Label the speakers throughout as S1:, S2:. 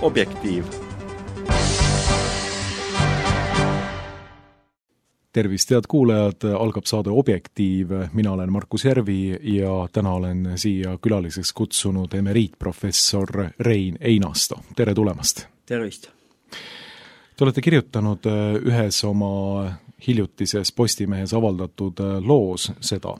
S1: Objektiiv.
S2: Tervist, head kuulajad, algab saade Objektiiv. Mina olen Markus Järvi ja täna olen siia külaliseks kutsunud emeriitprofessor Rein Einasto. Tere tulemast!
S3: Tervist!
S2: Te olete kirjutanud ühes oma hiljutises Postimehes avaldatud loos seda.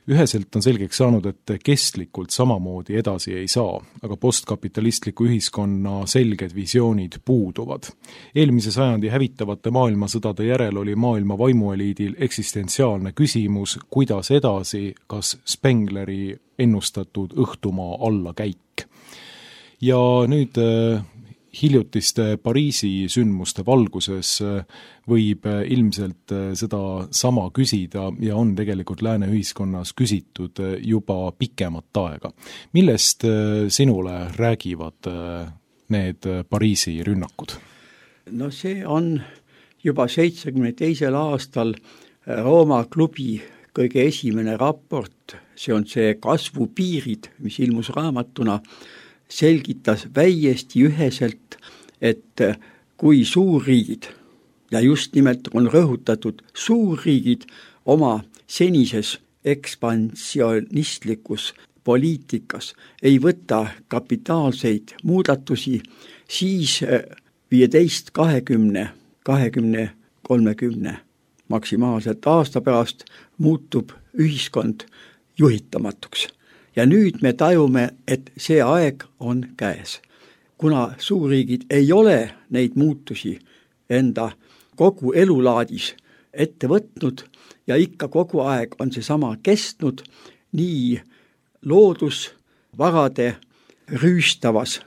S2: Üheselt on selgeks saanud, et kestlikult samamoodi edasi ei saa, aga postkapitalistliku ühiskonna selged visioonid puuduvad. Eelmise sajandi hävitavate maailmasõdade järel oli maailma vaimueliidil eksistentsiaalne küsimus, kuidas edasi, kas Spengleri ennustatud õhtumaa allakäik. Ja nüüd hiljutiste Pariisi sündmuste valguses võib ilmselt seda sama küsida ja on tegelikult lääne ühiskonnas küsitud juba pikemat aega. Millest sinule räägivad need Pariisi rünnakud?
S3: No see on juba 72. aastal Rooma klubi kõige esimene raport, see on see kasvupiirid, mis ilmus raamatuna, selgitas väiesti üheselt, et kui suurriigid, ja just nimelt on rõhutatud suurriigid oma senises ekspansionistlikus poliitikas ei võta kapitaalseid muudatusi, siis 15, 20, 30 maksimaalselt aasta pärast muutub ühiskond juhitamatuks. Ja nüüd me tajume, et see aeg on käes. Kuna suurriigid ei ole neid muutusi enda kogu elulaadis ette võtnud ja ikka kogu aeg on see sama kestnud nii loodusvarade rüüstavas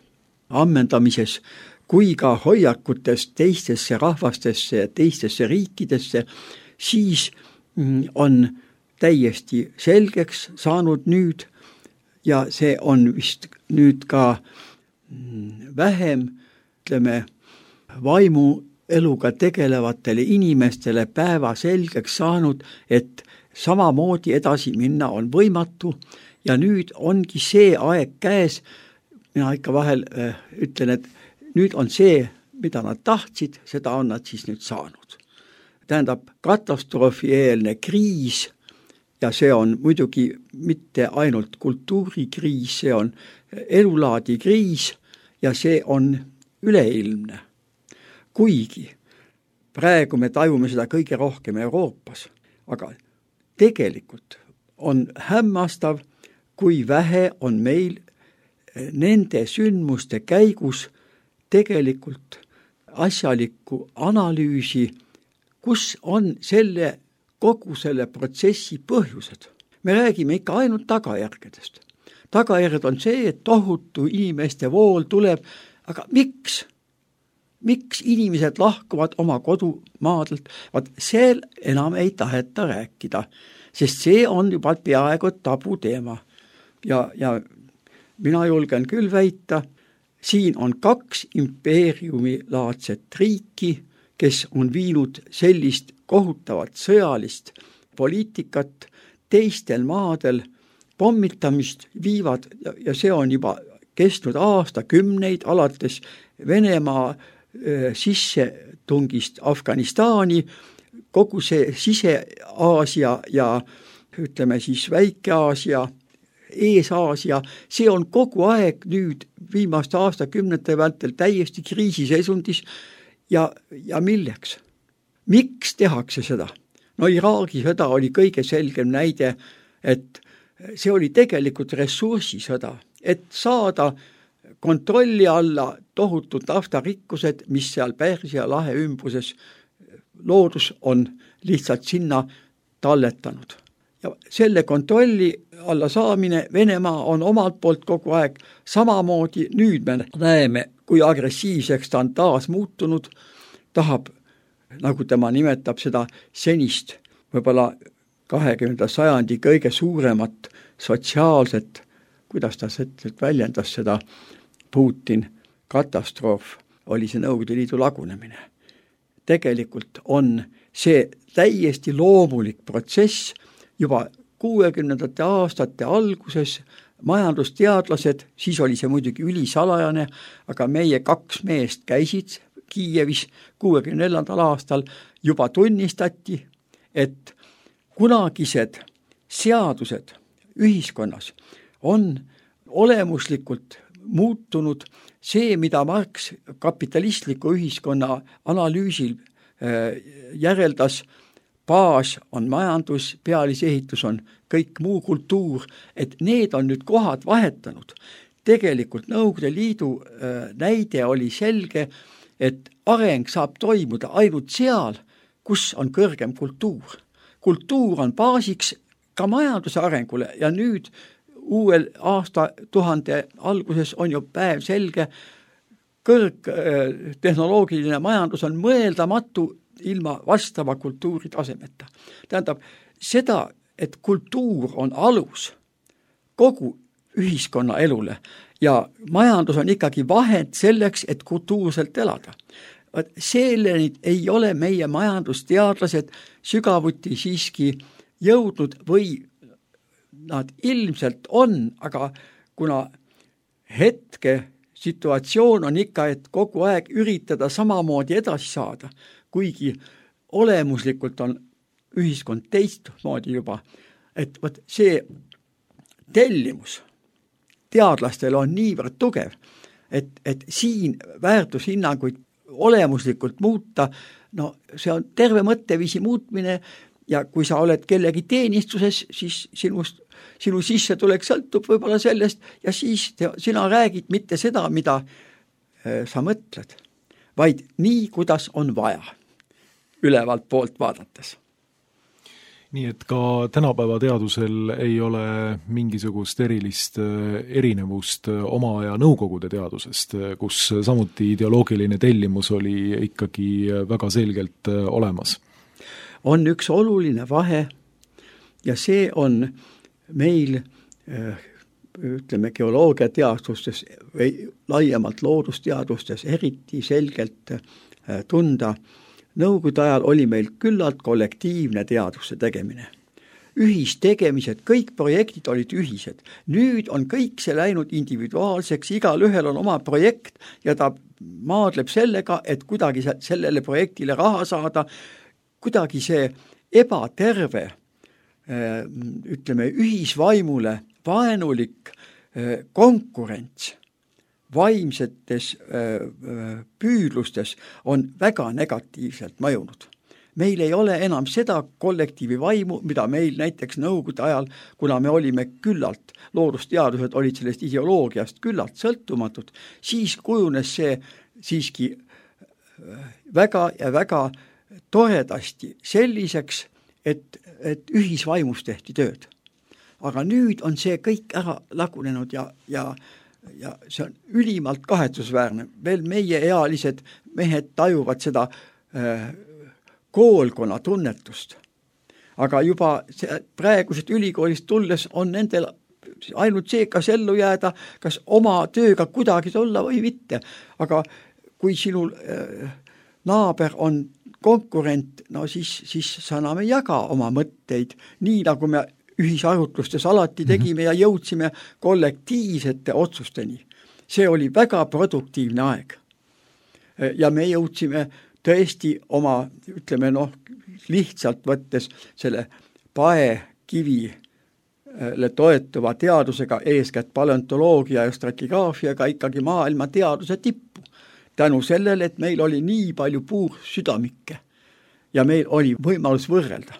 S3: ammendamises kui ka hoiakutes teistesse rahvastesse ja teistesse riikidesse, siis on täiesti selgeks saanud nüüd, ja see on vist nüüd ka vähem, ütleme, vaimueluga tegelevatele inimestele päeva selgeks saanud, et samamoodi edasi minna on võimatu ja nüüd ongi see aeg käes. Mina ikka vahel ütlen, et nüüd on see, mida nad tahtsid, seda on nad siis nüüd saanud. Tähendab, katastrofieelne kriis. Ja see on muidugi mitte ainult kultuurikriis, see on elulaadi kriis ja see on üleilmne. Kuigi praegu me tajume seda kõige rohkem Euroopas, aga tegelikult on hämmastav, kui vähe on meil nende sündmuste käigus tegelikult asjalikku analüüsi, kus on kogu selle protsessi põhjused. Me räägime ikka ainult tagajärgedest. Tagajärged on see, et tohutu inimeste vool tuleb, aga miks? Miks inimesed lahkuvad oma kodumaadelt? Seal enam ei taheta rääkida, sest see on juba peaaegu tabu teema. Ja mina julgen küll väita, siin on 2 impeeriumilaadset riiki, kes on viinud sellist kohutavat sõjalist poliitikat teistel maadel, pommitamist viivad ja see on juba kestnud aastakümneid alates Venemaa sissetungist Afganistani, kogu see Sise-Aasia ja ütleme siis Väike-Aasia, Ees-Aasia, see on kogu aeg nüüd viimaste aastakümnete vältel täiesti kriisiseisundis. Ja milleks? Miks tehakse seda? No Iraagi sõda oli kõige selgem näide, et see oli tegelikult ressursisõda, et saada kontrolli alla tohutud naftarikkused, mis seal Pärsia lahe ümbruses loodus on lihtsalt sinna talletanud. Ja selle kontrolli alla saamine Venemaa on omalt poolt kogu aeg samamoodi. Nüüd me näeme, kui agressiivseks ta on taas muutunud, tahab, nagu tema nimetab seda senist, võib-olla 20. sajandi kõige suuremat sotsiaalset, kuidas ta väljendas seda, Putin, katastroof, oli see Nõukogude Liidu lagunemine. Tegelikult on see täiesti loomulik protsess juba 60. aastate alguses majandusteadlased, siis oli see muidugi ülisalajane, aga meie 2 meest käisid Kiievis 64. aastal, juba tunnistati, et kunagised seadused ühiskonnas on olemuslikult muutunud. See, mida Marx kapitalistliku ühiskonna analüüsil järeldas, baas on majandus, pealisehitus on kõik muu kultuur, et need on nüüd kohad vahetanud. Tegelikult Nõukogude Liidu näide oli selge, et areng saab toimuda ainult seal, kus on kõrgem kultuur. Kultuur on baasiks ka majanduse arengule ja nüüd uuel aastatuhande alguses on ju päev selge, kõrgtehnoloogiline majandus on mõeldamatu ilma vastava kultuuri tasemeta. Tähendab, seda, et kultuur on alus kogu ühiskonna elule ja majandus on ikkagi vahend selleks, et kultuurselt elada. Selleni ei ole meie majandusteadlased sügavuti siiski jõudnud või nad ilmselt on, aga kuna hetke situatsioon on ikka, et kogu aeg üritada samamoodi edasi saada, kuigi olemuslikult on ühiskond teistmoodi juba, et võt see tellimus teadlastel on niivõrd tugev, et siin väärtushinnanguid olemuslikult muuta, no see on terve mõtteviisi muutmine ja kui sa oled kellegi teenistuses, siis sinu sissetulek sõltub võib-olla sellest ja siis sina räägid mitte seda, mida sa mõtled, vaid nii, kuidas on vaja ülevalt poolt vaadates.
S2: Nii et ka tänapäeva teadusel ei ole mingisugust erilist erinevust oma aja nõukogude teadusest, kus samuti ideoloogiline tellimus oli ikkagi väga selgelt olemas.
S3: On üks oluline vahe ja see on meil, ütleme, geoloogiateadustes või laiemalt loodusteadustes eriti selgelt tunda. Nõukogude ajal oli meil küllalt kollektiivne teaduse tegemine. Ühistegemised, kõik projektid olid ühised. Nüüd on kõik see läinud individuaalseks, igal ühel on oma projekt ja ta maadleb sellega, et kuidagi sellele projektile raha saada, kuidagi see ebaterve, ütleme, ühisvaimule vaenulik konkurents vaimsetes püüdlustes on väga negatiivselt mõjunud. Meil ei ole enam seda kollektiivi vaimu, mida meil näiteks nõukogude ajal, kuna me olime küllalt, loodusteadused olid sellest ideoloogiast küllalt sõltumatud, siis kujunes see siiski väga ja väga toredasti selliseks, et ühisvaimus tehti tööd. Aga nüüd on see kõik ära lagunenud ja see on ülimalt kahetsusväärne. Veel meie ealised mehed tajuvad seda koolkonna tunnetust. Aga juba praegused ülikoolist tulles on nendel ainult see, kas ellu jääda, kas oma tööga kuidagi olla või mitte. Aga kui sinul naaber on konkurent, no siis sa enam ei jaga oma mõtteid, nii nagu me ühisarutlustes alati tegime ja jõudsime kollektiivsete otsusteni. See oli väga produktiivne aeg. Ja me jõudsime tõesti oma, ütleme lihtsalt võttes selle paekivile toetuva teadusega, eeskätt paleontoloogia ja stratigaafiaga ikkagi maailma teaduse tippu. Tänu sellele, et meil oli nii palju puursüdamikke ja meil oli võimalus võrrelda.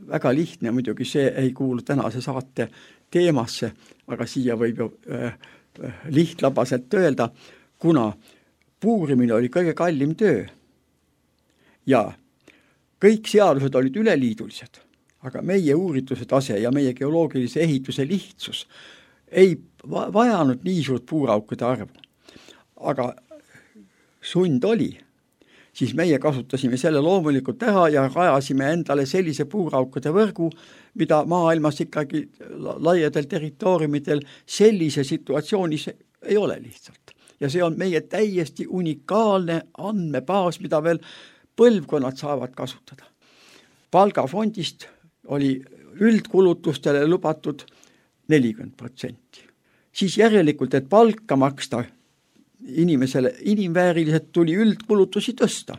S3: Väga lihtne muidugi see ei kuulu tänase saate teemasse, aga siia võib ju lihtlabaselt öelda, kuna puurimine oli kõige kallim töö ja kõik seadused olid üleliidulised, aga meie uurituse tase ja meie geoloogilise ehituse lihtsus ei vajanud nii suurt puuraukude arvu. Aga sund oli, siis meie kasutasime selle loomulikult ära ja rajasime endale sellise puuraukude võrgu, mida maailmas ikkagi laiadel territooriumidel sellise situatsioonis ei ole lihtsalt. Ja see on meie täiesti unikaalne andmebaas, mida veel põlvkonnad saavad kasutada. Palgafondist oli üldkulutustele lubatud 40%. Siis järelikult, et palka maksta inimesele inimvääriliselt tuli üldkulutusi tõsta.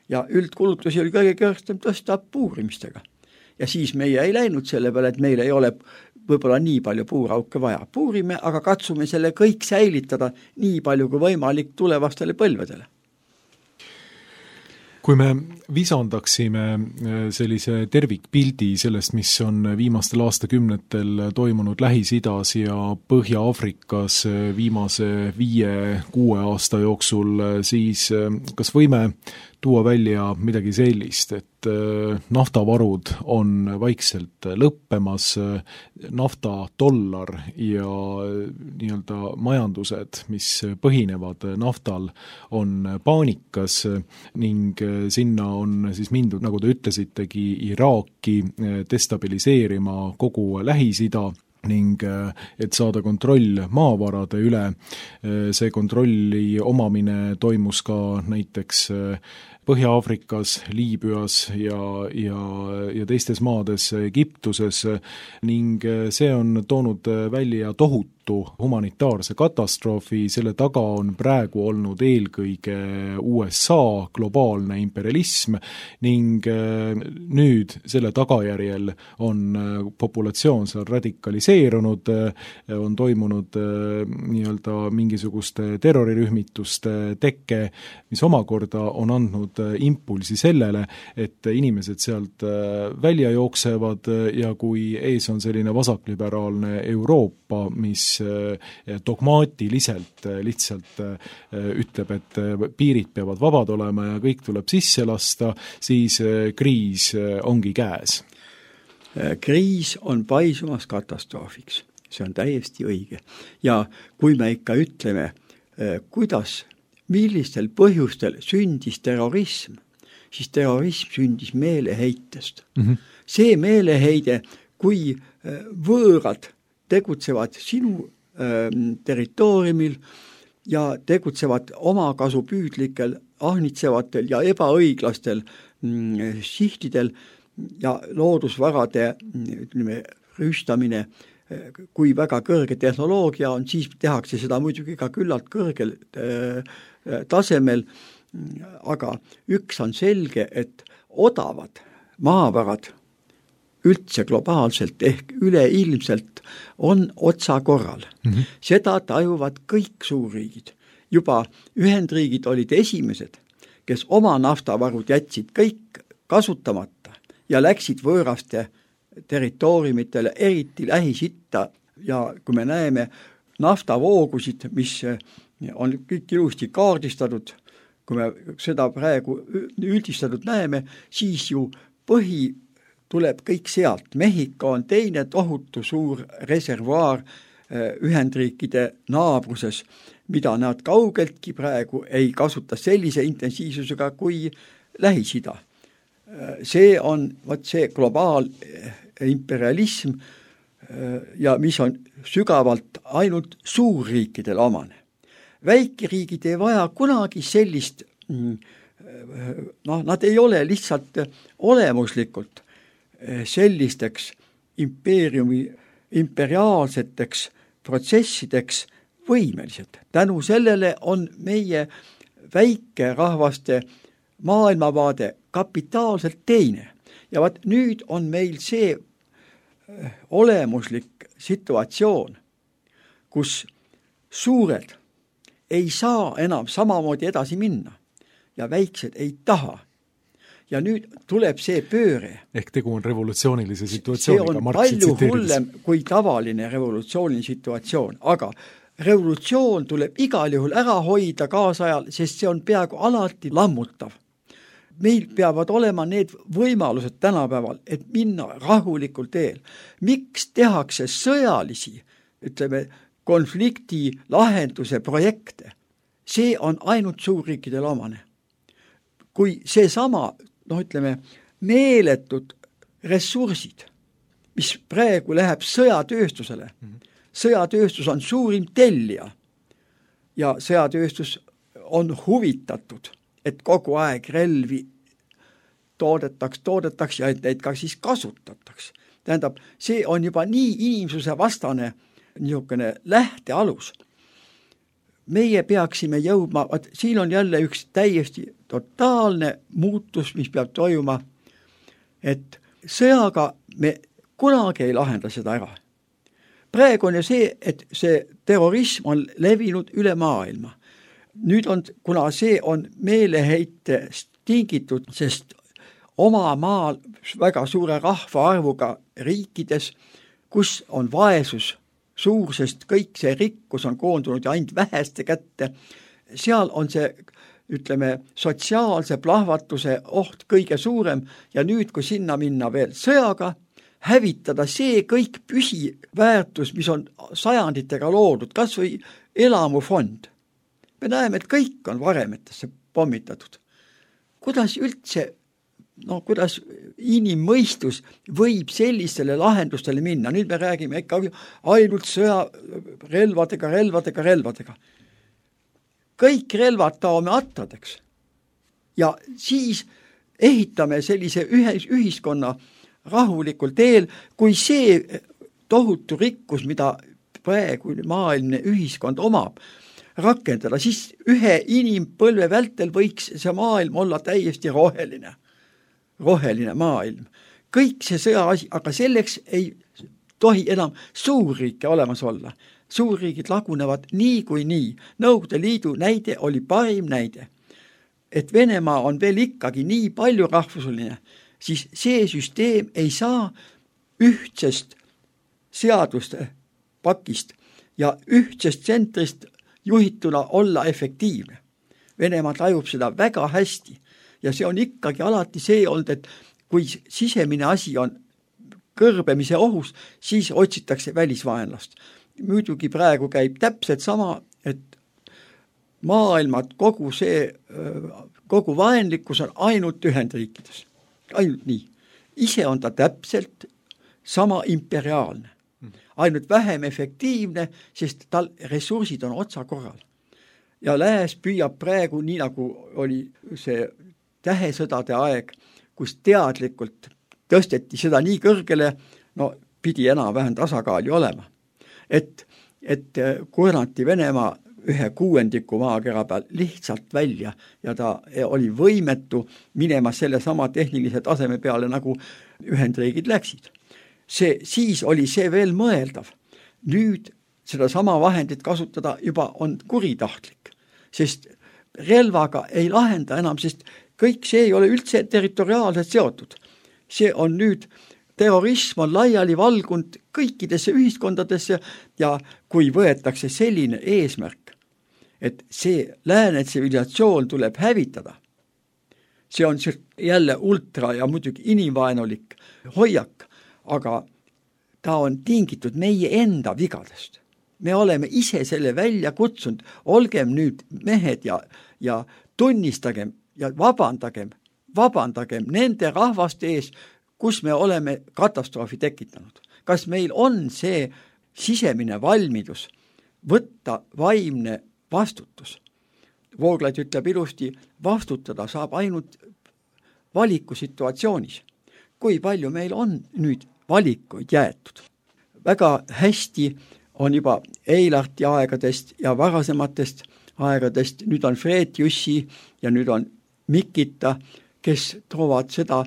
S3: Ja üldkulutusi oli kõige kõrgem tõsta puurimistega. Ja siis meie ei läinud selle peale, et meil ei ole võib-olla nii palju puurauke vaja. Puurime, aga katsume selle kõik säilitada nii palju kui võimalik tulevastele põlvedele.
S2: Kui me visandaksime sellise tervikpildi sellest, mis on viimastel aastakümnetel toimunud Lähis-Idas ja Põhja-Afrikas viimase 5-6 aasta jooksul, siis kas võime tuua välja midagi sellist, et naftavarud on vaikselt lõppemas, naftadollar ja nii-öelda majandused, mis põhinevad naftal, on paanikas ning sinna on siis mindud, nagu te ütlesitegi, Iraaki destabiliseerima kogu Lähis-Ida ning et saada kontroll maavarade üle. See kontrolli omamine toimus ka näiteks Põhja-Afrikas, Liibüas ja teistes maades, Egiptuses ning see on toonud välja tohutu humanitaarse katastroofi, selle taga on praegu olnud eelkõige USA globaalne imperialism ning nüüd selle tagajärjel on populatsioon seal radikaliseerunud, on toimunud nii-öelda mingisuguste terrorirühmituste tekke, mis omakorda on andnud impulsi sellele, et inimesed sealt välja jooksevad ja kui ees on selline vasakliberaalne Euroopa, mis dogmaatiliselt lihtsalt ütleb, et piirid peavad vabad olema ja kõik tuleb sisse lasta, siis kriis ongi käes.
S3: Kriis on paisumas katastroofiks, see on täiesti õige. Ja kui me ikka ütleme, millistel põhjustel sündis terrorism, siis terrorism sündis meeleheitest. See meeleheide, kui võõrad tegutsevad sinu territooriumil ja tegutsevad omakasupüüdlikel, ahnitsevatel ja ebaõiglastel sihtidel ja loodusvarade rüüstamine, kui väga kõrge tehnoloogia on, siis tehakse seda muidugi ka küllalt kõrgel tasemel, aga üks on selge, et odavad maavarad üldse globaalselt ehk üleilmselt on otsa korral. Seda tajuvad kõik suurriigid. Juba Ühendriigid olid esimesed, kes oma naftavarud jätsid kõik kasutamata ja läksid võõraste territooriumitele, eriti Lähis-Itta ja kui me näeme naftavoogusid, mis on kõik ilusti kaardistatud, kui me seda praegu üldistatud näeme, siis ju tuleb kõik sealt. Mehhiko on teine tohutu suur reservuaar Ühendriikide naabruses, mida nad kaugeltki praegu ei kasuta sellise intensiivsusega kui Lähis-Ida. See on see globaalimperialism ja mis on sügavalt ainult suurriikidel omane. Väikeriigid ei vaja kunagi sellist, nad ei ole lihtsalt olemuslikult sellisteks imperiaalseteks protsessideks võimelised. Tänu sellele on meie väikerahvaste maailmavaade kapitaalselt teine. Ja vaat nüüd on meil see olemuslik situatsioon, kus suured ei saa enam samamoodi edasi minna ja väiksed ei taha. Ja nüüd tuleb see pööre.
S2: Ehk tegu on revolutsioonilise situatsiooniga.
S3: See on palju hullem kui tavaline revolutsiooniline situatsioon, aga revolutsioon tuleb igal juhul ära hoida kaasajal, sest see on peaaegu alati lammutav. Meil peavad olema need võimalused tänapäeval, et minna rahulikul teel. Miks tehakse sõjalisi, konflikti lahenduse projekte? See on ainult suurriikidel omane. Kui see sama, meeletud ressursid, mis praegu läheb sõjatööstusele. Sõjatööstus on suurim tellija ja sõjatööstus on huvitatud, et kogu aeg relvi toodetaks ja et neid ka siis kasutataks. Tähendab, see on juba nii inimsuse vastane niisugune lähtealus. Meie peaksime jõudma, siin on jälle üks täiesti totaalne muutus, mis peab toimuma, et sõjaga me kunagi ei lahenda seda ära. Praegu on ju see, et see terrorism on levinud üle maailma. Nüüd on, kuna see on meeleheitest tingitud, sest oma maal väga suure rahvaarvuga riikides, kus on vaesus suur, sest kõik see rikkus on koondunud ja ainult väheste kätte, seal on see, ütleme, sotsiaalse plahvatuse oht kõige suurem ja nüüd, kui sinna minna veel sõjaga, hävitada see kõik püsiväärtus, mis on sajanditega loodud, kas või elamufond. Me näeme, et kõik on varemetesse pommitatud. Kuidas üldse, kuidas inimmõistus võib sellistele lahendustele minna? Nüüd me räägime ikka ainult sõja relvadega. Kõik relvad taome attadeks. Ja siis ehitame sellise ühiskonna rahulikul teel, kui see tohutu rikkus, mida praegu maailmne ühiskond omab, rakendada, siis ühe inimpõlve vältel võiks see maailm olla täiesti roheline maailm. Kõik see sõjaasi, aga selleks ei tohi enam suurriike olemas olla. Suurriigid lagunevad nii kui nii. Nõukogude Liidu näide oli parim näide. Et Venemaa on veel ikkagi nii palju rahvuseline, siis see süsteem ei saa ühtsest seaduste pakist ja ühtsest tsentrist juhituna olla efektiivne. Venemaa tajub seda väga hästi ja see on ikkagi alati see olnud, et kui sisemine asi on kõrbemise ohus, siis otsitakse välisvaenlast. Muidugi praegu käib täpselt sama, et maailmad, kogu vaenlikkus on ainult Ühendriikides. Ainult nii. Ise on ta täpselt sama imperiaalne. Ainult vähem efektiivne, sest tal ressursid on otsa korral. Ja lääs püüab praegu, nii nagu oli see tähesõdade aeg, kus teadlikult tõsteti seda nii kõrgele, pidi enam-vähem tasakaali olema. Et kurnati Venemaa 1/6 maakera peal lihtsalt välja ja ta oli võimetu minema selle sama tehnilise taseme peale, nagu Ühendriigid läksid. Siis oli see veel mõeldav. Nüüd seda sama vahendit kasutada juba on kuritahtlik, sest relvaga ei lahenda enam, sest kõik see ei ole üldse territoriaalselt seotud. See on nüüd, terrorism on laiali valgunud kõikidesse ühiskondadesse ja kui võetakse selline eesmärk, et see lääne tsivilisatsioon tuleb hävitada, see on jälle ultra ja muidugi inimvaenulik hoiak, aga ta on tingitud meie enda vigadest. Me oleme ise selle välja kutsunud, olgem nüüd mehed ja tunnistagem ja vabandagem nende rahvaste ees, kus me oleme katastroofi tekitanud. Kas meil on see sisemine valmidus võtta vaimne vastutus? Vooglaid ütleb ilusti, vastutada saab ainult valikusituatsioonis. Kui palju meil on nüüd valikuid jäetud? Väga hästi on juba Eilarti aegadest ja varasematest aegadest, nüüd on Fred Jussi ja nüüd on Mikita, kes toovad seda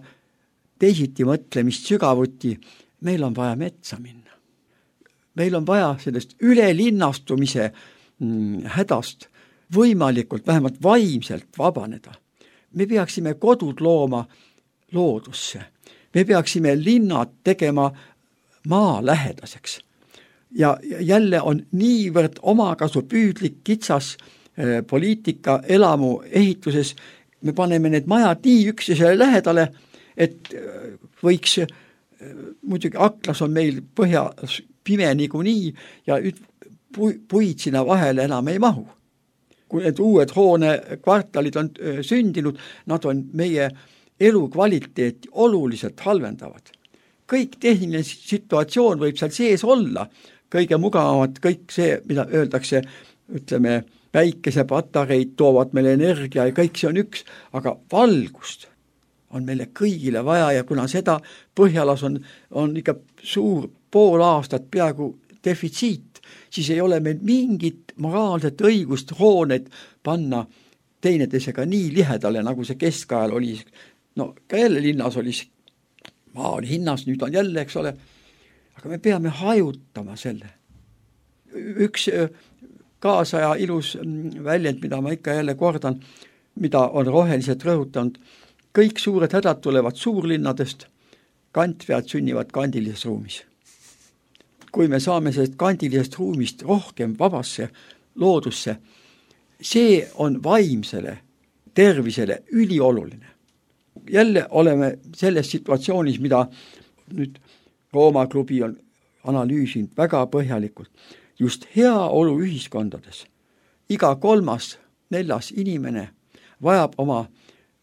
S3: teisiti mõtlemist sügavuti. Meil on vaja metsa minna. Meil on vaja sellest ülelinnastumise hädast võimalikult, vähemalt vaimselt vabaneda. Me peaksime kodud looma loodusse. Me peaksime linnad tegema maalähedaseks. Ja jälle on niivõrd omakasupüüdlik kitsas poliitika elamu ehituses. Me paneme need majad nii üksteisele lähedale, et võiks, muidugi aklas on meil põhjas pime niikuinii ja puid sinna vahele enam ei mahu. Kui need uued hoonekvartalid on sündinud, nad on meie elukvaliteeti oluliselt halvendavad. Kõik tehniline situatsioon võib seal sees olla, kõige mugavamad, kõik see, mida öeldakse, ütleme, päikesepatareid toovad meile energia ja kõik see on üks, aga valgust on meile kõigile vaja ja kuna seda Põhjalas on ikka suur pool aastat peaaegu defitsiit, siis ei ole meil mingit moraalset õigust hooneid panna teineteisega nii lihedale, nagu see keskajal oli. No ka jälle linnas oli, maa oli hinnas, nüüd on jälle, eks ole, aga me peame hajutama selle. Üks kaasaja ilus väljend, mida ma ikka jälle kordan, mida on roheliselt rõhutanud, kõik suured hädad tulevad suurlinnadest, kantvead sünnivad kandilises ruumis. Kui me saame sellest kandilisest ruumist rohkem vabasse loodusse, see on vaimsele tervisele ülioluline. Jälle oleme selles situatsioonis, mida nüüd Rooma klubi on analüüsinud väga põhjalikult. Just heaolu ühiskondades. Iga 3.–4. inimene vajab oma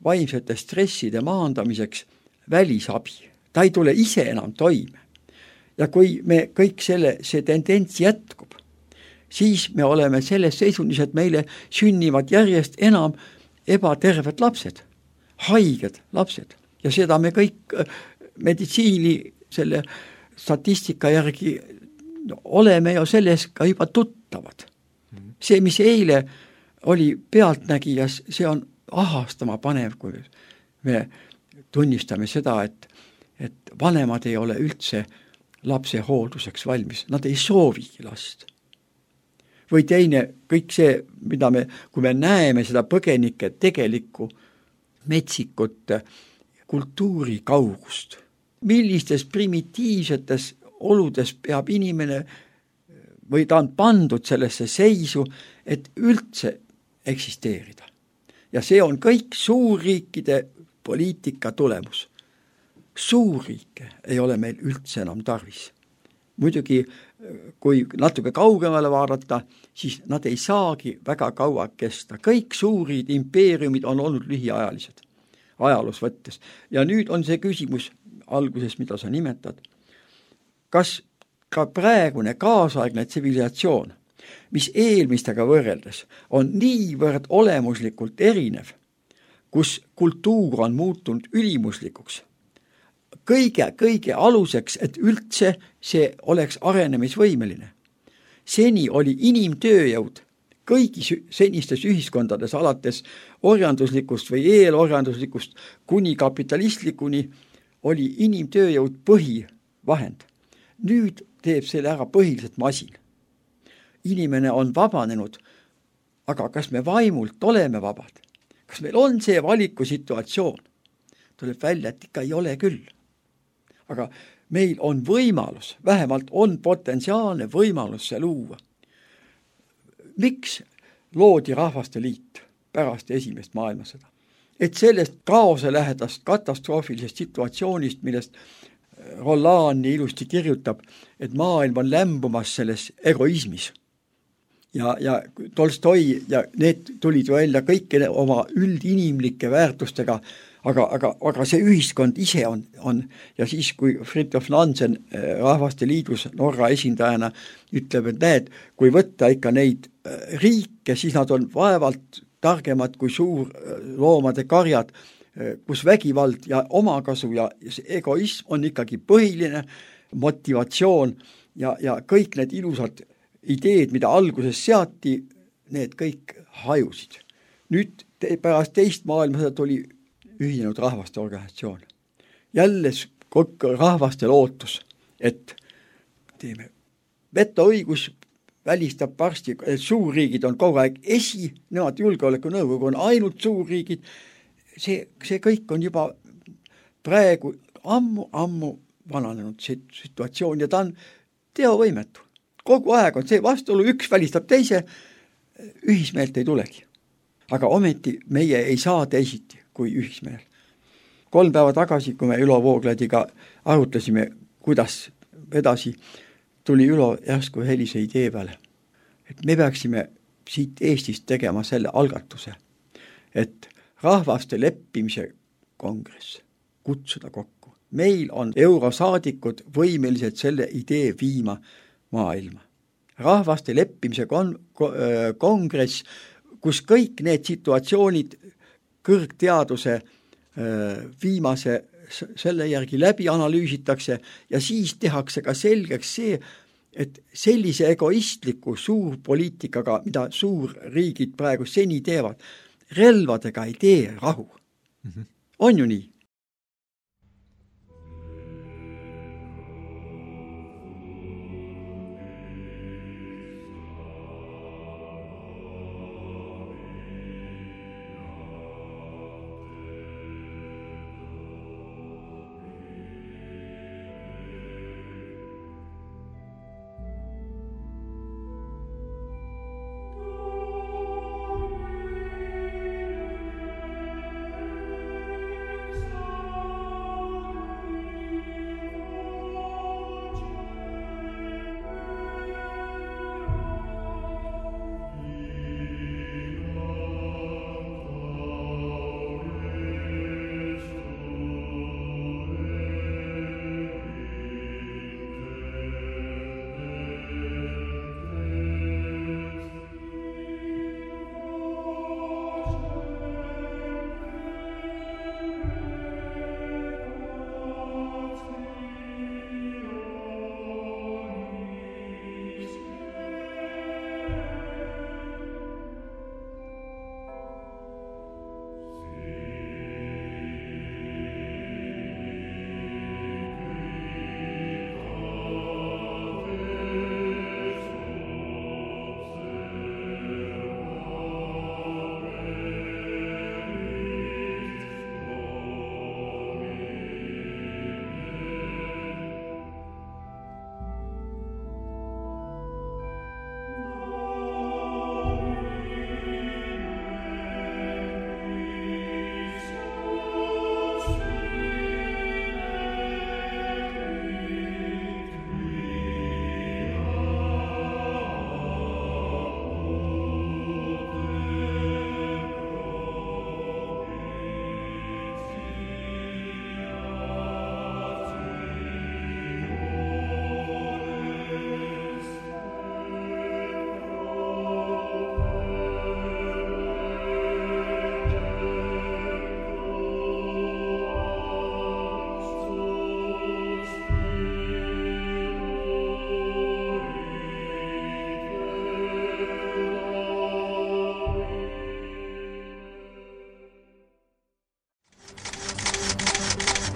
S3: vaimsete stresside maandamiseks välisabi. Ta ei tule ise enam toime. Ja kui me kõik see tendents jätkub, siis me oleme selles seisundis, et meile sünnivad järjest enam ebaterved lapsed, haiged lapsed. Ja seda me kõik meditsiini selle statistika järgi oleme ju selles ka juba tuttavad. See, mis eile oli pealtnägijas, see on ahastama panev, kui me tunnistame seda, et vanemad ei ole üldse lapse hoolduseks valmis. Nad ei soovigi last. Või teine, kõik see, mida kui me näeme seda põgenike tegelikku metsikut kultuuri kaugust, millistes primitiivsetes oludes peab inimene või ta on pandud sellesse seisu, et üldse eksisteerida. Ja see on kõik suurriikide poliitika tulemus. Suurriike ei ole meil üldse enam tarvis. Muidugi, kui natuke kaugemale vaadata, siis nad ei saagi väga kaua kesta. Kõik suurid impeeriumid on olnud lühiajalised ajaloos võttes. Ja nüüd on see küsimus alguses, mida sa nimetad. Kas ka praegune kaasaegne tsivilisatsioon, mis eelmistega võrreldes on niivõrd olemuslikult erinev, kus kultuur on muutunud ülimuslikuks, kõige aluseks, et üldse see oleks arenemisvõimeline. Seni oli inimtööjõud kõigis senistes ühiskondades, alates orjanduslikust või eelorjanduslikust kuni kapitalistlikuni, oli inimtööjõud põhivahend. Nüüd teeb selle ära põhiliselt masin. Inimene on vabanenud, aga kas me vaimult oleme vabad? Kas meil on see valikusituatsioon? Tuleb välja, et ikka ei ole küll. Aga meil on võimalus, vähemalt on potentsiaalne võimalus see luua. Miks loodi Rahvaste Liit pärast esimest maailmasõda? Et sellest kaose lähedast katastroofilisest situatsioonist, millest Roland nii ilusti kirjutab, et maailm on lämbumas selles egoismis. Ja Tolstoi ja need tulid välja kõike oma üldinimlike väärtustega, aga see ühiskond ise on ja siis, kui Fridtjof Nansen Rahvaste Liidus Norra esindajana ütleb, et näed, kui võtta ikka neid riike, siis nad on vaevalt targemad kui suur loomade karjad, kus vägivald ja omakasu ja egoism on ikkagi põhiline motivatsioon ja kõik need ilusad ideed, mida alguses seati, need kõik hajusid. Nüüd pärast teist maailmasõda tuli ühinenud rahvaste organisatsioon. Jälle rahvaste lootus, et teeme vetoõigus välistab varsti, et suurriigid on kogu aeg nemad julgeolekunõukogu on ainult suurriigid. See kõik on juba praegu ammu vananenud situatsioon ja ta on teovõimetu. Kogu aeg on see vastuolu, üks välistab teise, ühismeelt ei tulegi. Aga ometi meie ei saa teisiti kui ühismeel. 3 päeva tagasi, kui me Ülo Voogladiga arutlesime, kuidas edasi, tuli Ülo järsku helise idee peale. Et me peaksime siit Eestist tegema selle algatuse, et rahvaste leppimise kongress kutsuda kokku. Meil on eurosaadikud võimelised selle idee viima maailma. Rahvaste leppimise kongress, kus kõik need situatsioonid kõrgteaduse viimase selle järgi läbi analüüsitakse ja siis tehakse ka selgeks see, et sellise egoistliku suurpoliitikaga, mida suurriigid praegu seni teevad, relvadega ei tee rahu. On ju nii?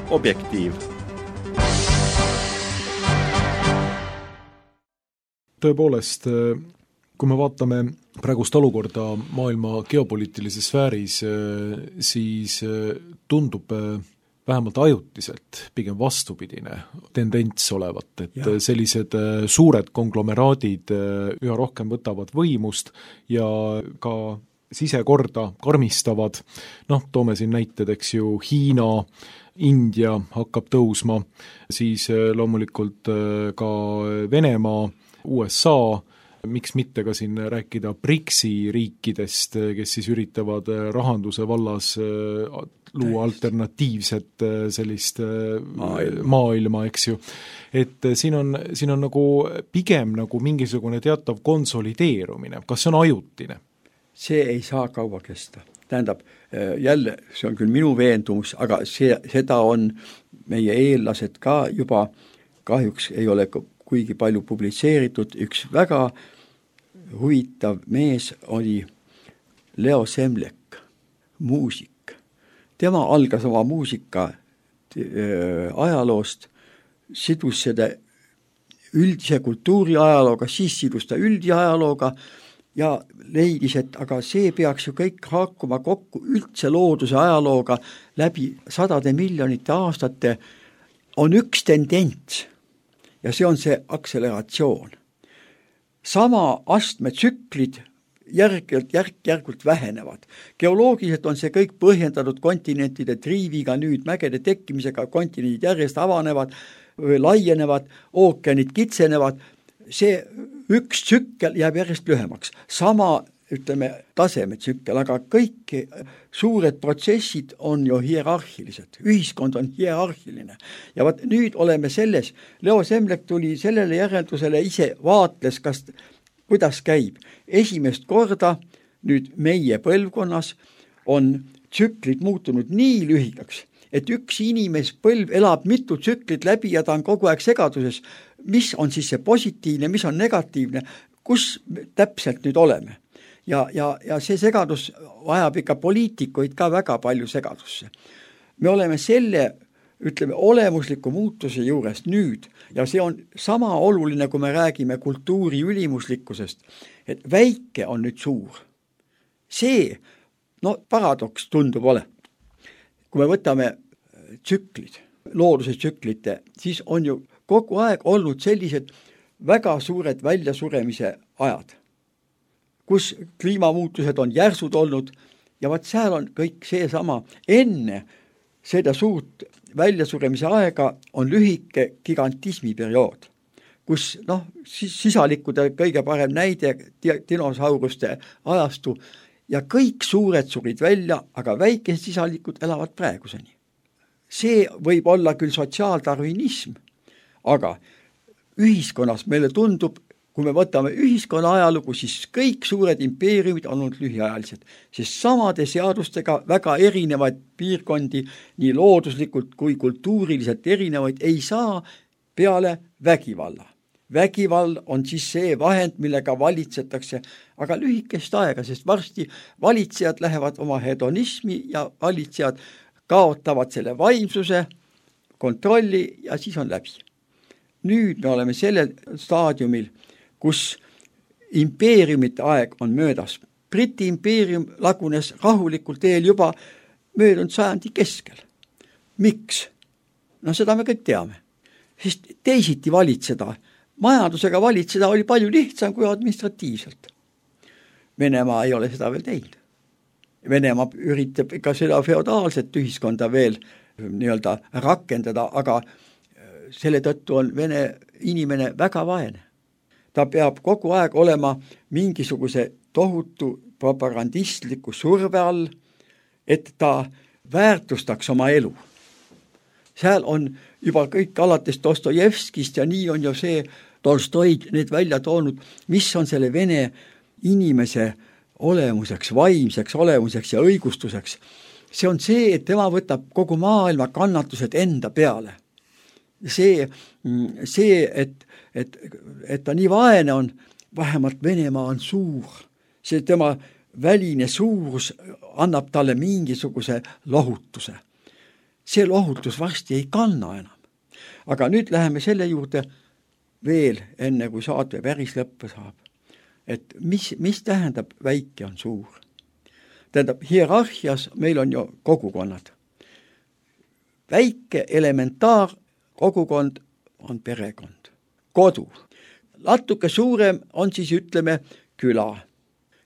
S1: Objektiiv.
S2: Tõepoolest, kui me vaatame praegust olukorda maailma geopoliitilises sfääris, siis tundub vähemalt ajutiselt pigem vastupidine tendents olevat, et sellised suured konglomeraadid üha rohkem võtavad võimust ja ka sisekorda karmistavad, toome siin näited, eks ju, Hiina, India hakkab tõusma, siis loomulikult ka Venemaa, USA, miks mitte ka siin rääkida BRICS-i riikidest, kes siis üritavad rahanduse vallas luua alternatiivset sellist maailma, eks ju. Et siin on nagu pigem nagu mingisugune teatav konsolideerumine, kas see on ajutine?
S3: See ei saa kaua kesta. Tähendab, jälle, see on küll minu veendumus, aga seda on meie eellased ka juba kahjuks ei ole kuigi palju publitseeritud. Üks väga huvitav mees oli Leo Semlek, muusik. Tema algas oma muusika ajaloost, sidus seda üldise kultuuri ajalooga, siis sidus ta üldiajalooga ja leidis, et aga see peaks ju kõik hakkuma kokku üldse looduse ajalooga läbi 100 miljonite aastate, on üks tendents ja see on see akseleratsioon. Sama astmetsüklid järk-järgult vähenevad. Geoloogiliselt on see kõik põhjendatud kontinentide triiviga, nüüd mägede tekkimisega, kontinendid järjest avanevad, laienevad, ookeanid kitsenevad, see üks tsükkel jääb järjest lühemaks. Sama, ütleme, tasemetsükkel, aga kõik suured protsessid on ju hierarhilised. Ühiskond on hierarhiline. Ja vaat nüüd oleme selles, Leo Semlek tuli sellele järeldusele, ise vaatles, kuidas käib. Esimest korda nüüd meie põlvkonnas on tsüklid muutunud nii lühikaks, et üks inimespõlv elab mitu tsüklit läbi ja ta on kogu aeg segaduses, mis on siis see positiivne, mis on negatiivne, kus täpselt nüüd oleme. Ja see segadus vajab ikka poliitikuid ka väga palju segadusse. Me oleme selle, ütleme, olemusliku muutuse juures nüüd ja see on sama oluline, kui me räägime kultuuri ülimuslikkusest, et väike on nüüd suur. See, paradoks tundub ole. Kui me võtame tsüklid, looduse tsüklite, siis on ju kogu aeg olnud sellised väga suured väljasuremise ajad, kus kliimamuutused on järsud olnud ja seal on kõik seesama. Enne seda suurt väljasuremise aega on lühike gigantismi periood, kus sisalikude kõige parem näide dinosauruste ajastu ja kõik suured surid välja, aga väikesed sisalikud elavad praeguseni. See võib olla küll sotsiaaldarwinism, aga ühiskonnas meile tundub, kui me võtame ühiskonna ajalugu, siis kõik suured impeeriumid on olnud lühiajalised, sest samade seadustega väga erinevaid piirkondi, nii looduslikult kui kultuuriliselt erinevaid, ei saa peale vägivalla. Vägivald on siis see vahend, millega valitsetakse, aga lühikest aega, sest varsti valitsejad lähevad oma hedonismi ja valitsejad kaotavad selle vaimsuse, kontrolli ja siis on läbi. Nüüd me oleme sellel staadiumil, kus impeeriumite aeg on möödas. Briti impeerium lagunes rahulikult eel juba möödunud sajandi keskel. Miks? Seda me kõik teame. Sest teisiti valitseda, majandusega valitseda oli palju lihtsam kui administratiivselt. Venemaa ei ole seda veel teinud. Venemaa üritab ikka seda feodaalset ühiskonda veel nii-öelda rakendada, aga selle tõttu on Vene inimene väga vaene. Ta peab kogu aeg olema mingisuguse tohutu propagandistliku surve all, et ta väärtustaks oma elu. Seal on juba kõik alates Dostojevskist ja nii on ju see Tolstoid need välja toonud, mis on selle Vene inimese olemuseks, vaimseks olemuseks ja õigustuseks. See on see, et tema võtab kogu maailma kannatused enda peale. See, et ta nii vaene on, vähemalt Venemaa on suur. See tema väline suurus annab talle mingisuguse lohutuse. See lohutus varsti ei kanna enam. Aga nüüd läheme selle juurde veel, enne kui saate päris lõppe saab. Et mis tähendab väike on suur? Tähendab, hierarhias meil on ju kogukonnad. Väike elementaar kogukond on perekond, kodu. Natuke suurem on siis, ütleme, küla.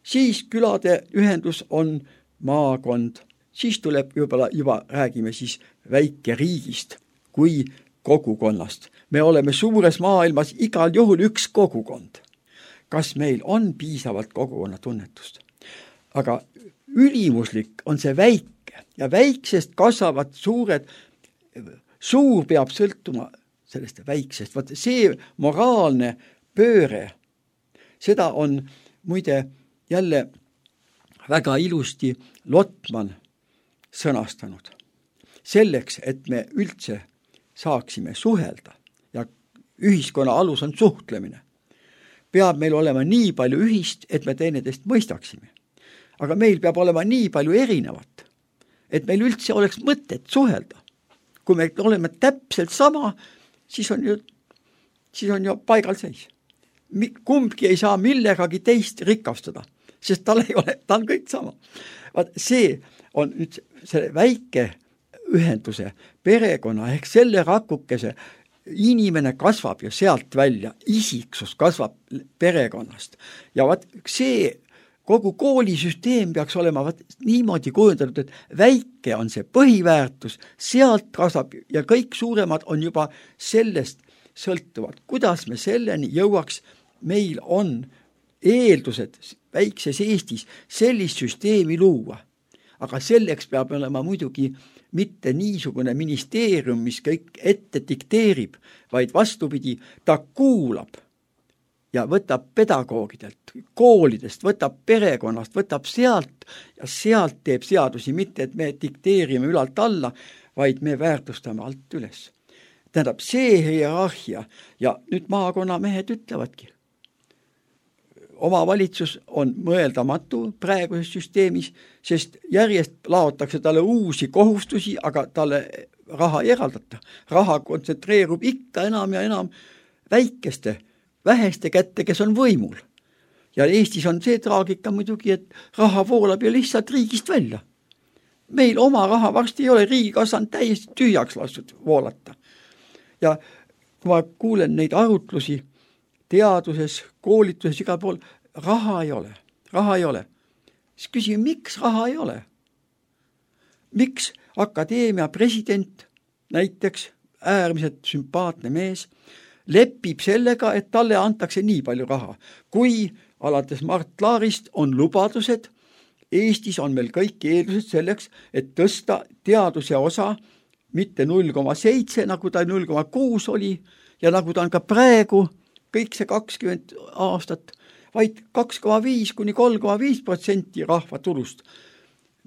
S3: Siis külade ühendus on maakond. Siis tuleb juba räägime siis väikeriigist kui kogukonnast. Me oleme suures maailmas igal juhul üks kogukond. Kas meil on piisavalt kogukonna tunnetust? Aga ülimuslik on see väike ja väiksest kasvavad suured. Suur peab sõltuma sellest väiksest. Vaat see moraalne pööre, seda on muide jälle väga ilusti Lotman sõnastanud. Selleks, et me üldse saaksime suhelda ja ühiskonna alus on suhtlemine, peab meil olema nii palju ühist, et me teineteist mõistaksime. Aga meil peab olema nii palju erinevat, et meil üldse oleks mõtet suhelda. Kui me oleme täpselt sama, siis on ju paigal seis. Kumbki ei saa millegagi teist rikastada, sest ta on kõik sama. See on nüüd selle väike ühenduse perekonna ehk selle rakukese. Inimene kasvab ju sealt välja, isiksus kasvab perekonnast. Ja see kogu koolisüsteem peaks olema niimoodi kujundatud, et väike on see põhiväärtus, sealt kasvab ja kõik suuremad on juba sellest sõltuvad. Kuidas me selleni jõuaks? Meil on eeldused väikses Eestis sellist süsteemi luua, aga selleks peab olema muidugi mitte niisugune ministeerium, mis kõik ette dikteerib, vaid vastupidi, ta kuulab ja võtab pedagoogidelt, koolidest, võtab perekonnast, võtab sealt ja sealt teeb seadusi, mitte et me dikteerime ülalt alla, vaid me väärtustame alt üles. Tähendab, see hierarhia ja nüüd maakonnamehed ütlevadki, omavalitsus on mõeldamatu praeguses süsteemis, sest järjest laotakse talle uusi kohustusi, aga talle raha ei eraldata. Raha kontsentreerub ikka enam ja enam väheste kätte, kes on võimul. Ja Eestis on see traagika muidugi, et raha voolab ju lihtsalt riigist välja. Meil oma raha varsti ei ole, riigikassa on täiesti tühjaks lastud voolata. Ja kui ma kuulen neid arutlusi teaduses, koolituses, igal pool, raha ei ole. Siis küsime, miks raha ei ole? Miks akadeemia president, näiteks äärmiselt sümpaatne mees, lepib sellega, et talle antakse nii palju raha, kui alates Mart Laarist on lubadused, Eestis on meil kõik eeldused selleks, et tõsta teaduse osa mitte 0,7, nagu ta 0,6 oli, ja nagu ta on ka praegu, kõik see 20 aastat, vaid 2,5 kuni 3,5% rahva tulust,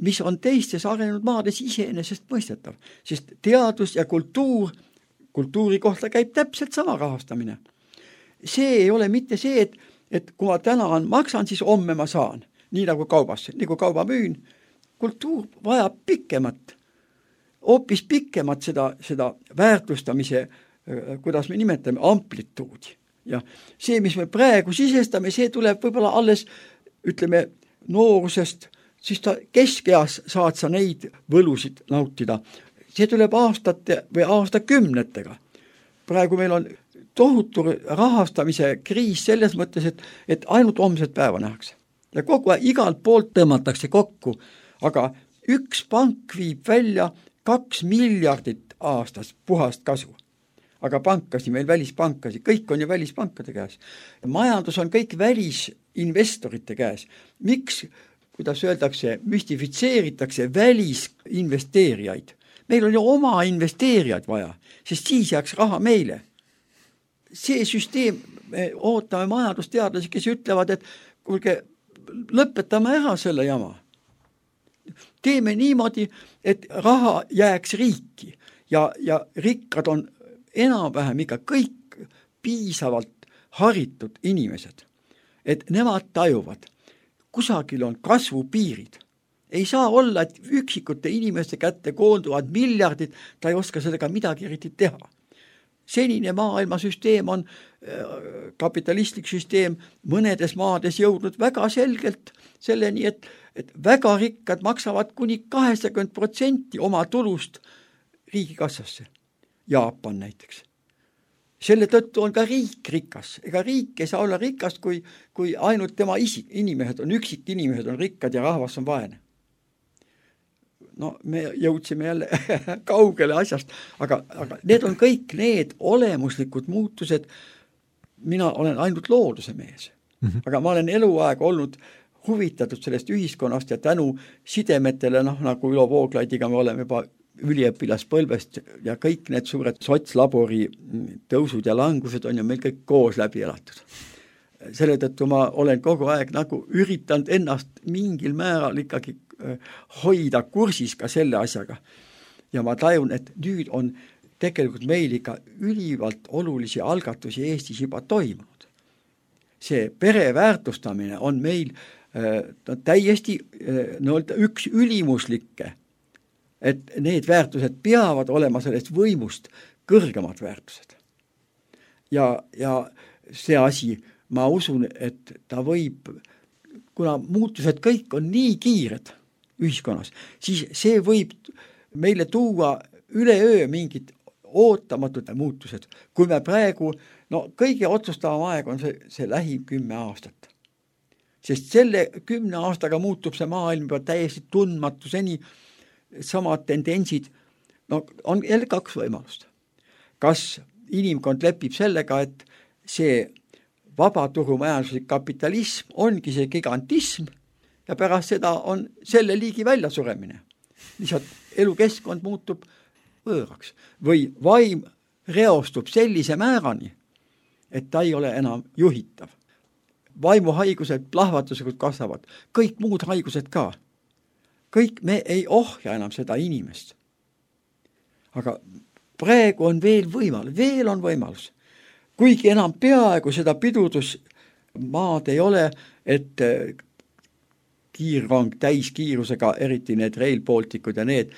S3: mis on teistes arenenud maades iseenesest mõistetav, sest teadus ja kultuuri kohta käib täpselt sama rahastamine. See ei ole mitte see, et kui ma täna maksan, siis homme ma saan, nii nagu kaubas, nii kui kauba müün. Kultuur vajab hoopis pikemat seda väärtustamise, kuidas me nimetame, amplituudi. Ja see, mis me praegu sisestame, see tuleb võib-olla alles, ütleme, noorusest, siis keskeas saad sa neid võlusid nautida. See tuleb aastate või aastakümnetega. Praegu meil on tohutu rahastamise kriis selles mõttes, et ainult homset päeva nähakse. Ja kogu aeg igalt poolt tõmmatakse kokku, aga üks pank viib välja 2 miljardit aastas puhast kasu. Aga pankasi, meil välispankasi, kõik on ju välispankade käes. Majandus on kõik välisinvestorite käes. Miks, kuidas öeldakse, müstifitseeritakse välisinvesteerijaid? Meil on ju oma investeerijaid vaja, sest siis jääks raha meile. See süsteem, me ootame majandusteadlasi, kes ütlevad, et kuulge, lõpetame ära selle jama. Teeme niimoodi, et raha jääks riiki ja rikkad on enam-vähem ikka kõik piisavalt haritud inimesed, et nemad tajuvad, kusagil on kasvupiirid. Ei saa olla, et üksikute inimeste kätte koonduvad miljardid, ta ei oska sellega midagi eriti teha. Senine maailmasüsteem on kapitalistlik süsteem mõnedes maades jõudnud väga selgelt selleni, et väga rikkad maksavad kuni 80% oma tulust riigikassasse. Jaapan näiteks. Selle tõttu on ka riik rikas. Ega riik ei saa olla rikast, kui ainult tema inimesed on, üksik inimesed on rikkad ja rahvas on vaene. No me jõudsime jälle kaugele asjast, aga need on kõik need olemuslikud muutused. Mina olen ainult looduse mees, aga ma olen eluaeg olnud huvitatud sellest ühiskonnast ja tänu sidemetele, nagu Ülo Vooglaidiga me oleme juba üliõpilaspõlvest ja kõik need suured sotslabori tõusud ja langused on ju meil kõik koos läbi elatud. Selle tõttu ma olen kogu aeg nagu üritanud ennast mingil määral ikkagi hoida kursis ka selle asjaga. Ja ma tajun, et nüüd on tegelikult meil ikka ülivalt olulisi algatusi Eestis juba toimunud. See pere väärtustamine on meil täiesti üks ülimuslikke, et need väärtused peavad olema sellest võimust kõrgemad väärtused. Ja see asi, ma usun, et ta võib, kuna muutused kõik on nii kiired ühiskonnas, siis see võib meile tuua üleöö mingid ootamatud muutused. Kui me praegu, kõige otsustavam aeg on see lähim 10 aastat. Sest selle 10 aastaga muutub see maailm juba täiesti tundmatu seni, samad tendentsid, on jälle 2 võimalust. Kas inimkond lepib sellega, et see vabaturumajanduslik kapitalism ongi see gigantism ja pärast seda on selle liigi väljasuremine. Lihtsalt elukeskkond muutub võõraks või vaim reostub sellise määrani, et ta ei ole enam juhitav. Vaimuhaigused plahvatuslikult kasvavad, kõik muud haigused ka. Kõik me ei ohja enam seda inimest. Aga praegu on veel võimalus. Kuigi enam peaaegu seda pidurdusmaad ei ole, et kiirrong täiskiirusega, eriti need Rail Balticud ja need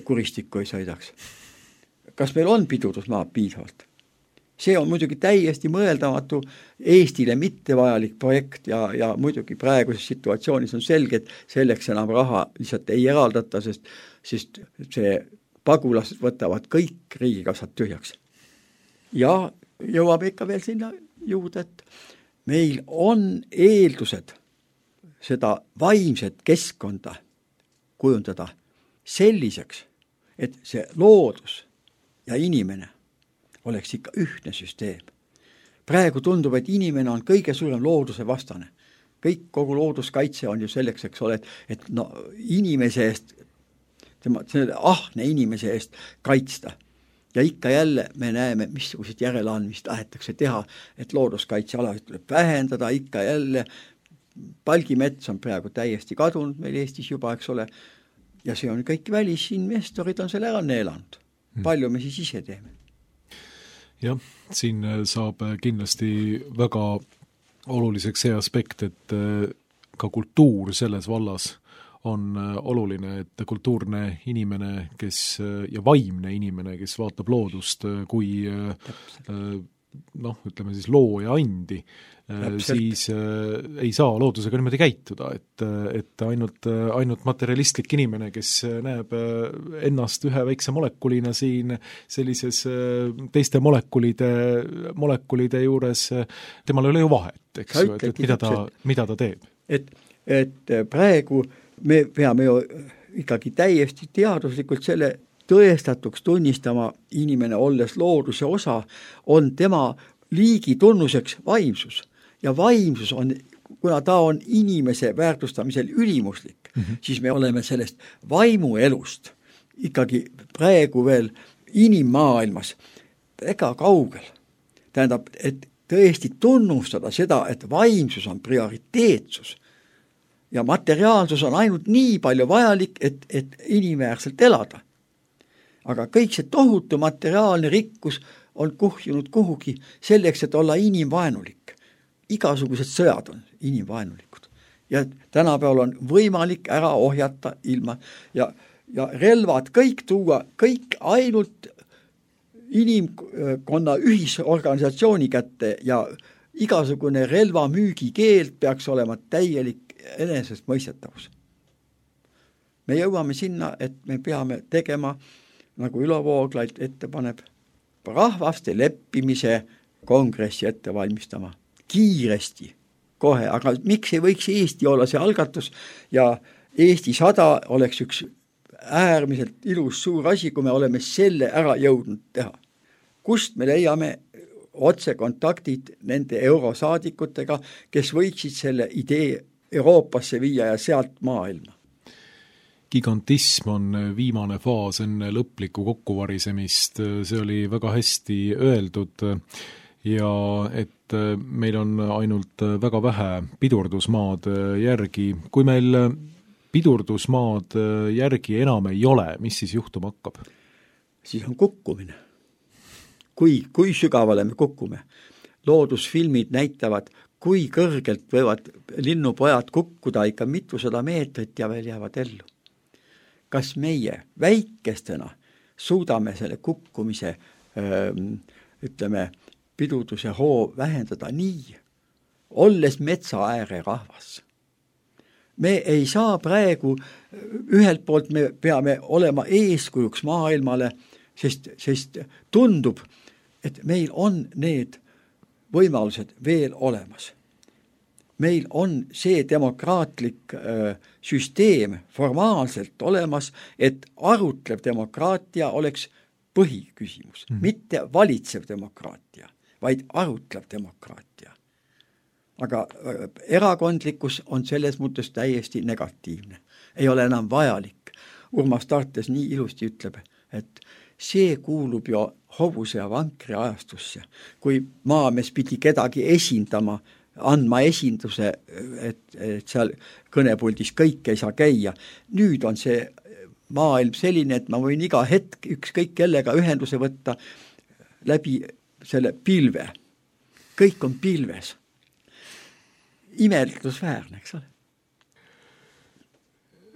S3: kuristikku ei sõidaks. Kas meil on pidurdusmaad piisavalt? See on muidugi täiesti mõeldamatu Eestile mittevajalik projekt ja muidugi praeguses situatsioonis on selge, et selleks enam raha lihtsalt ei eraldata, sest see pagulased võtavad kõik riigikassad tühjaks. Ja jõuame ikka veel sinna juurde, et meil on eeldused seda vaimset keskkonda kujundada selliseks, et see loodus ja inimene oleks ikka ühtne süsteem. Praegu tundub, et inimene on kõige suurem looduse vastane. Kogu looduskaitse on ju selleks, eks ole, et no, inimese eest, ahne inimese eest kaitsta. Ja ikka jälle me näeme, missugused järeleandmist tahetakse teha, et looduskaitsealasid tuleb vähendada, ikka jälle palgimets on praegu täiesti kadunud meil Eestis juba, eks ole, ja see on kõik välisinvestorid on selle ära neelanud. Palju me siis ise teeme?
S2: Jah, siin saab kindlasti väga oluliseks see aspekt, et ka kultuur selles vallas on oluline, et kultuurne inimene, ja vaimne inimene, kes vaatab loodust kui ütleme siis looja andi, siis ei saa loodusega niimoodi käituda, et ainult materialistlik inimene, kes näeb ennast ühe väikse molekulina siin sellises teiste molekulide juures, temal ei ole ju vahet, eks ju, et mida ta teeb.
S3: Et praegu me peame ju ikkagi täiesti teaduslikult selle tõestatuks tunnistama inimene olles looduse osa, on tema liigi tunnuseks vaimsus. Ja vaimsus on, kuna ta on inimese väärtustamisel ülimuslik, siis me oleme sellest vaimuelust ikkagi praegu veel inimmaailmas väga kaugel. Tähendab, et tõesti tunnustada seda, et vaimsus on prioriteetsus ja materiaalsus on ainult nii palju vajalik, et inimväärselt elada. Aga kõik see tohutu materiaalne rikkus on kuhjunud kuhugi selleks, et olla inimvaenulik. Igasugused sõjad on inimvaenulikud. Ja tänapäeval on võimalik ära ohjata ilma ja relvad kõik tuua, kõik ainult inimkonna ühisorganisatsiooni kätte ja igasugune relvamüügi keeld peaks olema täielik enesest mõistetavus. Me jõuame sinna, et me peame tegema nagu Ülo Vooglaid ette paneb, rahvaste leppimise kongressi ette valmistama. Kiiresti, kohe, aga miks ei võiks Eesti olla see algatus ja Eesti 100 oleks üks äärmiselt ilus suur asi, kui me oleme selle ära jõudnud teha. Kust me leiame otsekontaktid nende eurosaadikutega, kes võiksid selle idee Euroopasse viia ja sealt maailma?
S2: Gigantism on viimane faas enne lõplikku kokkuvarisemist, see oli väga hästi öeldud ja et meil on ainult väga vähe pidurdusmaad järgi. Kui meil pidurdusmaad järgi enam ei ole, mis siis juhtuma hakkab?
S3: Siis on kukkumine. Kui sügavale me kukkume? Loodusfilmid näitavad, kui kõrgelt võivad linnupojad kukkuda ikka mitusada meetrit ja veel jäävad ellu. Kas meie väikestena suudame selle kukkumise, pidurduse hoo vähendada nii, olles metsaääre rahvas? Me ei saa praegu, ühelt poolt me peame olema eeskujuks maailmale, sest tundub, et meil on need võimalused veel olemas. Meil on see demokraatlik süsteem formaalselt olemas, et arutlev demokraatia oleks põhiküsimus, mitte valitsev demokraatia, vaid arutlev demokraatia. Aga erakondlikkus on selles mõttes täiesti negatiivne. Ei ole enam vajalik. Urmas Tartes nii ilusti ütleb, et see kuulub ju hobuse ja vankri ajastusse. Kui maamees pidi kedagi esindama, andma esinduse, et seal kõnepuldis kõik ei saa käia. Nüüd on see maailm selline, et ma võin iga hetk ükskõik kellega ühenduse võtta läbi selle pilve. Kõik on pilves. Imeldusväärne, eks ole.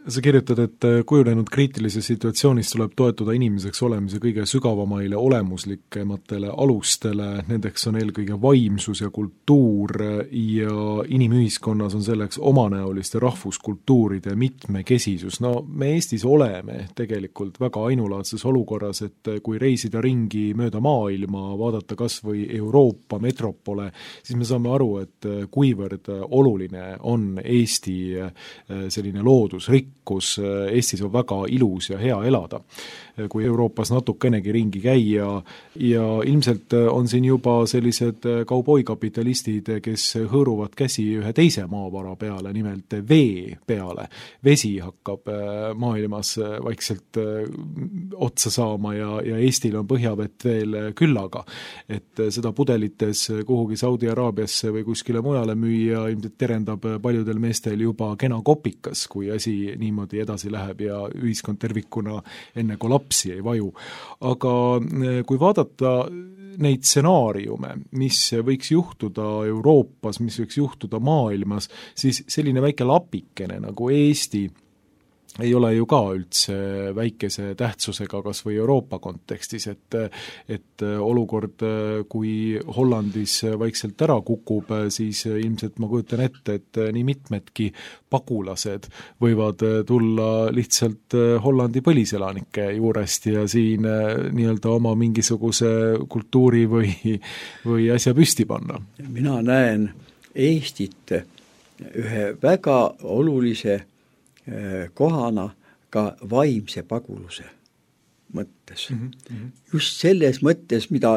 S2: Sa kirjutad, et kujunenud kriitilises situatsioonis tuleb toetuda inimeseks olemise kõige sügavamaile olemuslikematele alustele, nendeks on eelkõige vaimsus ja kultuur ja inimühiskonnas on selleks omanäoliste rahvuskultuuride mitmekesisus. No me Eestis oleme tegelikult väga ainulaadses olukorras, et kui reisida ringi mööda maailma, vaadata kas või Euroopa metropole, siis me saame aru, et kuivõrd oluline on Eesti selline loodusrikkus, kus Eestis on väga ilus ja hea elada. Kui Euroopas natukenegi ringi käia ja ilmselt on siin juba sellised kauboikapitalistid, kes hõõruvad käsi ühe teise maavara peale, nimelt vee peale. Vesi hakkab maailmas vaikselt otsa saama ja Eestil on põhjavett veel küllaga. Et seda pudelites kuhugi Saudi Araabiasse või kuskile mujale müüa ilmselt terendab paljudel meestel juba kena kopikas, kui asi niimoodi edasi läheb ja ühiskond tervikuna enne kolapsi ei vaju. Aga kui vaadata neid stsenaariume, mis võiks juhtuda Euroopas, mis võiks juhtuda maailmas, siis selline väike lapikene nagu Eesti ei ole ju ka üldse väikese tähtsusega kas või Euroopa kontekstis, et olukord, kui Hollandis vaikselt ära kukub, siis ilmselt ma kujutan ette, et nii mitmedki pagulased võivad tulla lihtsalt Hollandi põliselanike juurest ja siin nii-öelda oma mingisuguse kultuuri või asja püsti panna.
S3: Mina näen Eestit ühe väga olulise kohana ka vaimse paguluse mõttes. Just selles mõttes, mida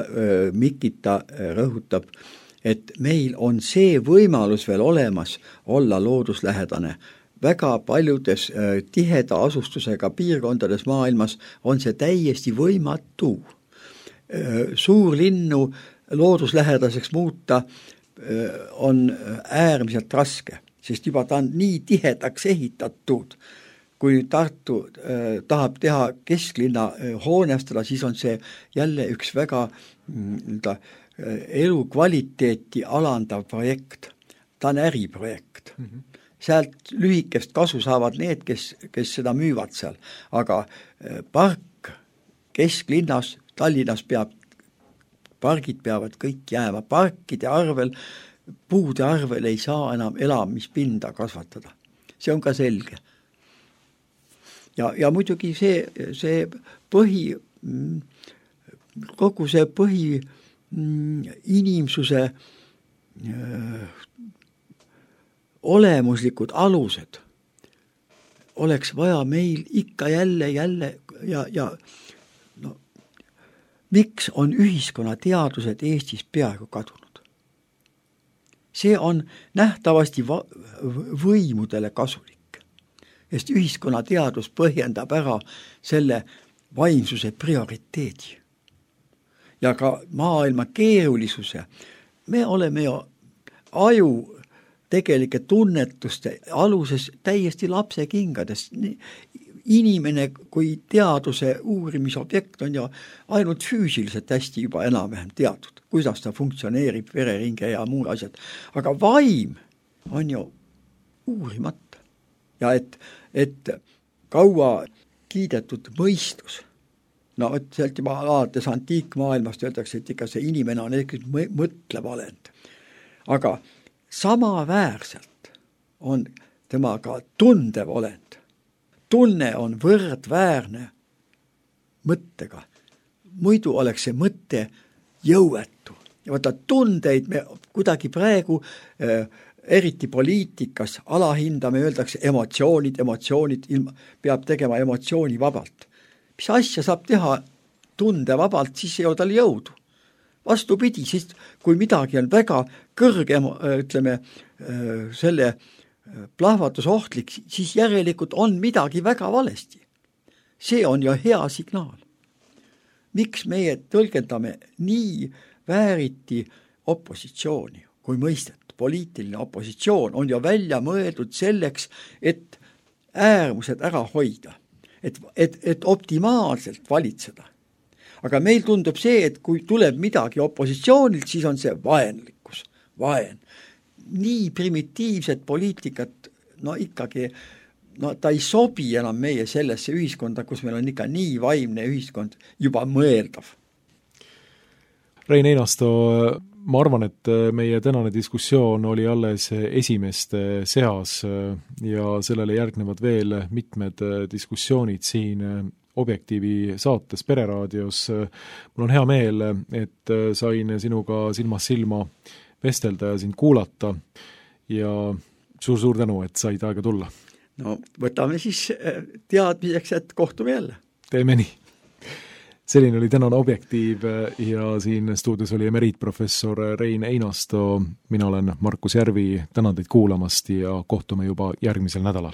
S3: Mikita rõhutab, et meil on see võimalus veel olemas olla looduslähedane. Väga paljudes tiheda asustusega piirkondades maailmas on see täiesti võimatu. Suurlinnu looduslähedaseks muuta on äärmiselt raske, sest juba ta on nii tihedaks ehitatud. Kui Tartu tahab teha kesklinna hoonestada, siis on see jälle üks väga elukvaliteeti alandav projekt. Ta on äriprojekt. Sealt lühikest kasu saavad need, kes seda müüvad seal. Aga park kesklinnas, Tallinnas pargid peavad kõik jääma. Parkide arvel, puude arvel ei saa enam elamispinda kasvatada. See on ka selge. Ja muidugi see kogu see inimsuse olemuslikud alused oleks vaja meil ikka jälle ja miks on ühiskonna teadused Eestis peaaegu kadunud? See on nähtavasti võimudele kasulik, sest ühiskonna teadus põhjendab ära selle vaimsuse prioriteedi. Ja ka maailma keerulisuse. Me oleme ju aju tegelike tunnetuste aluses täiesti lapsekingades. Inimene kui teaduse uurimisobjekt on ju ainult füüsiliselt hästi juba enam-vähem teatud, kuidas ta funktsioneerib, vereringe ja muud asjad. Aga vaim on ju uurimata. Ja et kaua kiidetud mõistus, no sealt juba alates antiikmaailmast öeldakse, et ikka see inimene on mõtlev olend. Aga samaväärselt on temaga tundev olend. Tunne on võrdväärne mõttega. Muidu oleks see mõtte jõuetu. Ja vaata, tundeid me kuidagi praegu eriti poliitikas alahindame, öeldakse emotsioonid, peab tegema emotsiooni vabalt. Mis asja saab teha tunde vabalt, siis ei ole tal jõudu. Vastupidi, siis kui midagi on väga kõrge, ütleme, selle plahvatusohtlik, siis järelikult on midagi väga valesti. See on ju hea signaal. miks meie tõlgendame nii vääriti opositsiooni kui mõistet? Poliitiline opositsioon on ju välja mõeldud selleks, et äärmused ära hoida, et optimaalselt valitseda. Aga meil tundub see, et kui tuleb midagi opositsioonilt, siis on see vaenlikkus, vaen. Nii primitiivset poliitikat, ikkagi, ta ei sobi enam meie sellesse ühiskonda, kus meil on ikka nii vaimne ühiskond juba mõeldav.
S2: Rein Einasto, ma arvan, et meie tänane diskussioon oli alles esimeste seas ja sellele järgnevad veel mitmed diskussioonid siin Objektiivi saates Pereraadios. Mul on hea meel, et sain sinuga silmast silma vestelda ja sind kuulata ja suur-suur tänu, et said aega tulla.
S3: No võtame siis teadmiseks, et kohtume jälle.
S2: Teeme nii. Selline oli tänane Objektiiv ja siin stuudios oli emeriitprofessor Rein Einasto. Mina olen Markus Järvi, tänan teid kuulamast ja kohtume juba järgmisel nädalal.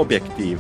S1: Objektiiv